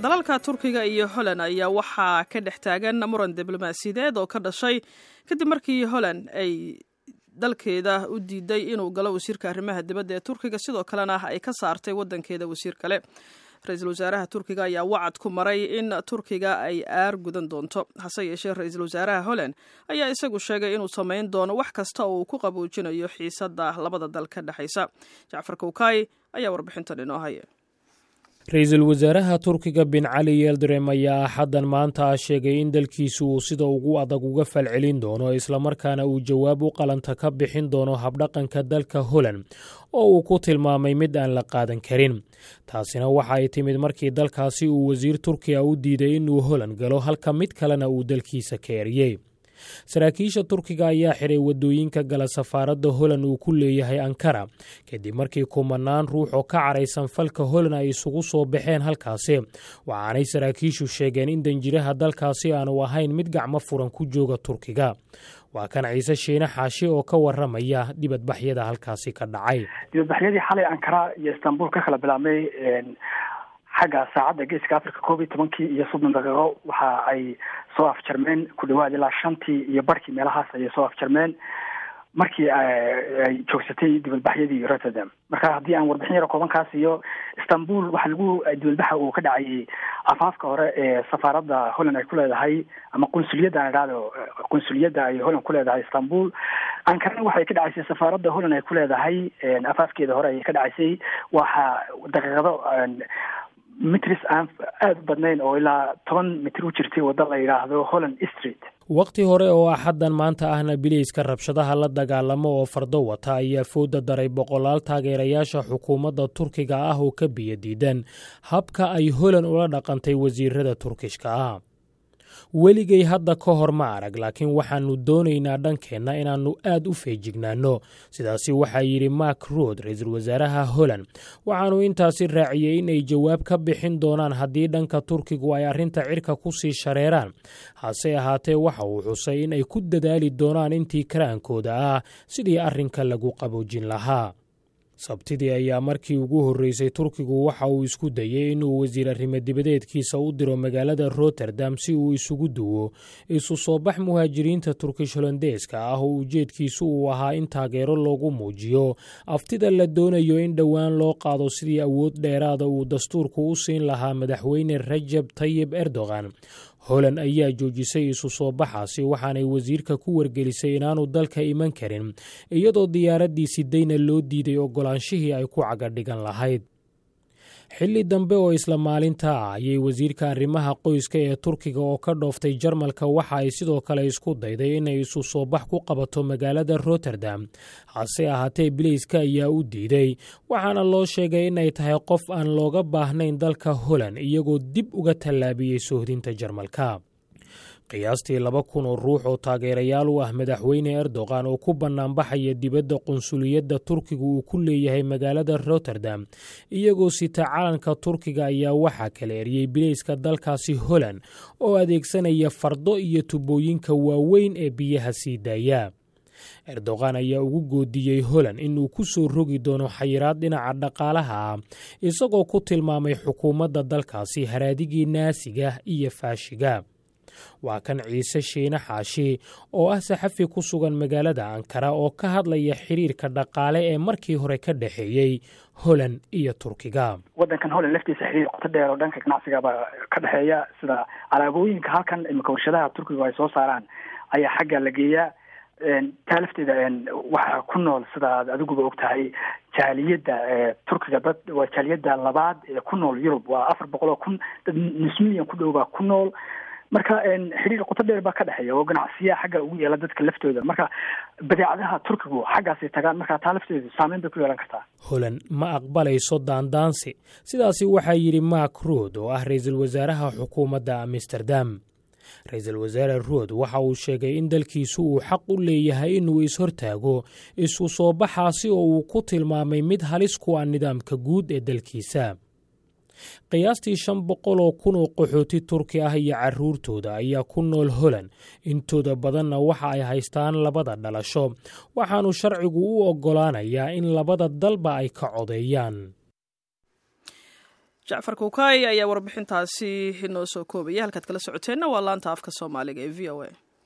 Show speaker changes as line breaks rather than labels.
Dalalka Turkiga iyo Holland ayaa waxaa ka dhex taagan muran diblomaasiyadeed oo ka dhashay kadib markii Holland ay dalkeeda u diiday inuu galo wasiirka arrimaha dibadda ee Turkiga, sidoo kalena ay ka saartay wadankeeda wasiir kale. Ra-iisul wasaaraha Turkiga ayaa wacad ku maray in Turkiga ay aar gudan doonto. Hase yeeshee, ra-iisul wasaaraha Holland ayaa isagu sheegay inuu samayn doono wax kasta oo uu ku qaboojinayo xiisadda labada dal ka dhexaysa. Jacfar Kowkay ayaa warbixintan inoo haya.
Ra-iisul wasaaraha Turkiga Bin Cali Yeldrem ayaa Axaddan maanta ah sheegay in dalkiisu uu sida ugu adag uga falcelin doono, islamarkaana uu jawaab u qalanta ka bixin doono habdhaqanka dalka Holland oo uu ku tilmaamay mid aan la qaadan karin. Taasina waxa ay timid markii dalkaasi uu wasiir Turkiya u diiday inuu Holland galo, halka mid kalena uu dalkiisa ka eriyey. Saraakiisha Turkiga ayaa xiray wadooyinka gala safaaradda Holland uu ku leeyahay Ankara, kadib markii kumanaan ruux oo ka caraysan falka Holland ay isugu soo baxeen halkaasi. Waxaanay saraakiishu sheegeen in danjiraha dalkaasi aanu ahayn mid gacmo furan ku jooga Turkiga. Waa kan Ciise Shiine Xaashi oo ka waramaya dibadbaxyada halkaasi ka dhacay.
Dibadbaxyadii xalay Ankara iyo Istanbul ka kala bilaabmay xagga saacadda Geeska Africa 11-kii iyo 30 daqiiqo, waxa ay soo afjarmeen ku dhawaad ilaa 5-tii iyo barkii meelahaas ayay soo afjarmeen, markii ay joogsatay dibadbaxyadii Rotterdam. Marka haddii aan warbixin yaro kooban iyo Istanbul, waxaa lagu dibadbaxa uu ka dhacayay afaafka hore ee safaaradda Holland ay ku leedahay, ama qunsuliyadda aan idhaahdo, qunsuliyadda ay Holland ku leedahay Istanbul. Ankarana waxay ka dhacaysay safaaradda Holland ay ku leedahay afaafkeeda hore ayay ka dhacaysay. Waxaa daqiiqado mitris aan aada u badnayn oo ilaa 10 mitir u jirtay wadda la yidhaahdo Holland Street.
Waqti hore oo Axaddan maanta ahna, bileyska rabshadaha la dagaalamo oo fardo wata ayaa fooda daray boqolaal taageerayaasha xukuumadda Turkiga ah oo ka biyo diidan habka ay Holand ula dhaqantay wasiirada Turkishka ah. "Weligay hadda ka hor ma arag, laakiin waxaannu doonaynaa dhankeenna inaannu aad u feejignaanno," sidaasi waxaa yidhi Mark Rutte, ra-iisul wasaaraha Holland. Waxaanu intaasi raaciyey in ay jawaab ka bixin doonaan haddii dhanka Turkigu ay arrinta cirka ku sii shareeraan. Hase ahaatee, waxa uu xusay in ay ku dadaali doonaan intii karaankooda ah sidii arrinka lagu qaboojin lahaa. Sabtidii ayaa markii ugu horreysay Turkigu waxa uu isku dayey inuu wasiir arrimo dibadeedkiisa u diro magaalada Rotterdam si uu isugu duwo isu soo bax muhaajiriinta Turkish Holondeeska ah oo ujeedkiisu uu ahaa in taageero loogu muujiyo aftida la doonayo in dhowaan loo qaado sidii awood dheeraada uu dastuurku u siin lahaa madaxweyne Rajab Tayib Erdogan. Holland ayaa joojisay isu soo baxaasi, waxaanay wasiirka ku wargelisay inaanu dalka iman karin, iyadoo diyaaraddii sidayna loo diiday ogolaanshihii ay ku cagadhigan lahayd. Xilli dambe oo isla maalinta ah ayay wasiirka arrimaha qoyska ee Turkiga oo ka dhooftay Jarmalka waxa ay sidoo kale isku dayday inay isu soo bax ku qabato magaalada Rotterdam. Hase ahaatee, bileyska ayaa u diiday, waxaana loo sheegay inay tahay qof aan looga baahnayn dalka Holland, iyagoo dib uga tallaabiyey soohdinta Jarmalka. Qiyaastii 2000 oo ruux oo taageerayaal u ah madaxweyne Erdogan oo ku bannaanbaxaya dibadda qunsuliyadda Turkiga uu ku leeyahay magaalada Rotterdam, iyagoo sita calanka Turkiga, ayaa waxaa kala eriyey bileyska dalkaasi Holland oo adeegsanaya fardo iyo tubooyinka waaweyn ee biyaha sii daaya. Erdogan ayaa ugu goodiyey Holland inuu ku soo rogi doono xayiraad dhinaca dhaqaalaha ah, isagoo ku tilmaamay xukuumadda dalkaasi haraadigii Naasiga iyo Faashiga. Waa kan Ciise Shiine Xaashi oo ah saxafi ku sugan magaalada Ankara oo ka hadlaya xiriirka dhaqaale ee markii hore ka dhexeeyey Holland iyo Turkiga.
Waddankan Holland laftiisa xiriir qoto dheer oo dhanka ganacsigaba ka dhexeeya, sida alaabooyinka halkan imika warshadaha Turkigu ay soo saaraan ayaa xagga la geeyaa. Taa lafteeda waxaa ku nool, sida aad adiguba og tahay, jaaliyadda Turkiga. Dad waa jaaliyadda labaad ee ku nool Yurub, waa 400,000, dad nus milyan ku dhow baa ku nool. Marka xiriir qoto dheer baa ka dhexeeya oo ganacsiya xagga ugu yeela dadka laftooda. Marka badeecadaha Turkigu xaggaasay tagaan, marka taa lafteedu saameyn bay ku yeelan kartaa.
"Holland ma aqbalayso daandaansi," sidaasi waxaa yidhi Mark Rutte oo ah ra-iisul wasaaraha xukuumadda Amsterdam. Ra-iisul wasaare Rutte waxa uu sheegay in dalkiisu uu xaq u leeyahay inuu is-hortaago isu soo baxaasi oo uu ku tilmaamay mid halis ku ah nidaamka guud ee dalkiisa. Qiyaastii 500,000 oo qaxooti Turki ah iyo carruurtooda ayaa ku nool Holland, intooda badanna waxa ay haystaan labada dhalasho, waxaanu sharcigu u oggolaanayaa in labada dalba ay ka codeeyaan.
Jacfar Kuukay ayaa warbixintaasi inoo soo koobaya. Halkaad kala socoteenna waa laanta afka Soomaaliga ee VOA.